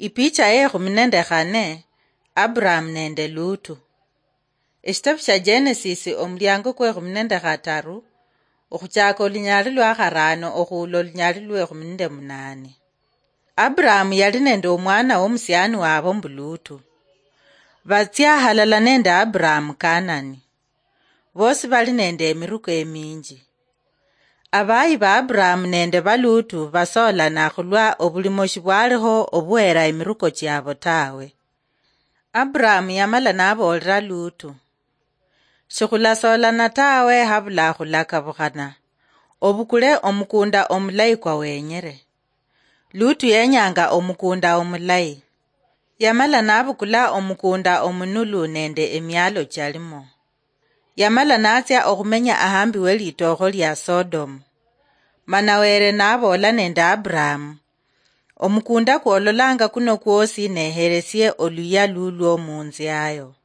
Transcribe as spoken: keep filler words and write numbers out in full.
Ipicha ye ekhumi nende khane, Abraham nende Lutu. Eshitabu shia Genesis, omuliango kwe ekhumi nende khataru, okhuchaka olunyali lwa kharano okhuula olunyali lwe ekhumi nende munane. Abraham yali nende omwana womusiani wabo mbu Lutu. Batsia halala nende Abraham Kanani. Bosi bali nende emiruko eminji. Abayi ba Abraham nende ba Lutu basoolana khulwa obulimo shibwaliho obuhera emiruko chiabo tawe. Abraham yamala naboolera Lutu, "Shikhulasoolana tawe habula khulakabukhana, obukule omukunda omulayi kwa wenyere." Lutu yenyanga omukunda omulayi. Yamala nabukula omukunda omunulu nende emialo chialimo. Yamala natsia okhumenya ahambi welitookho lia Sodomu. Mana Were naboola nende Abraham, "Omukunda kwololanga kuno kwosi neheresie oluya lulwo munziayo."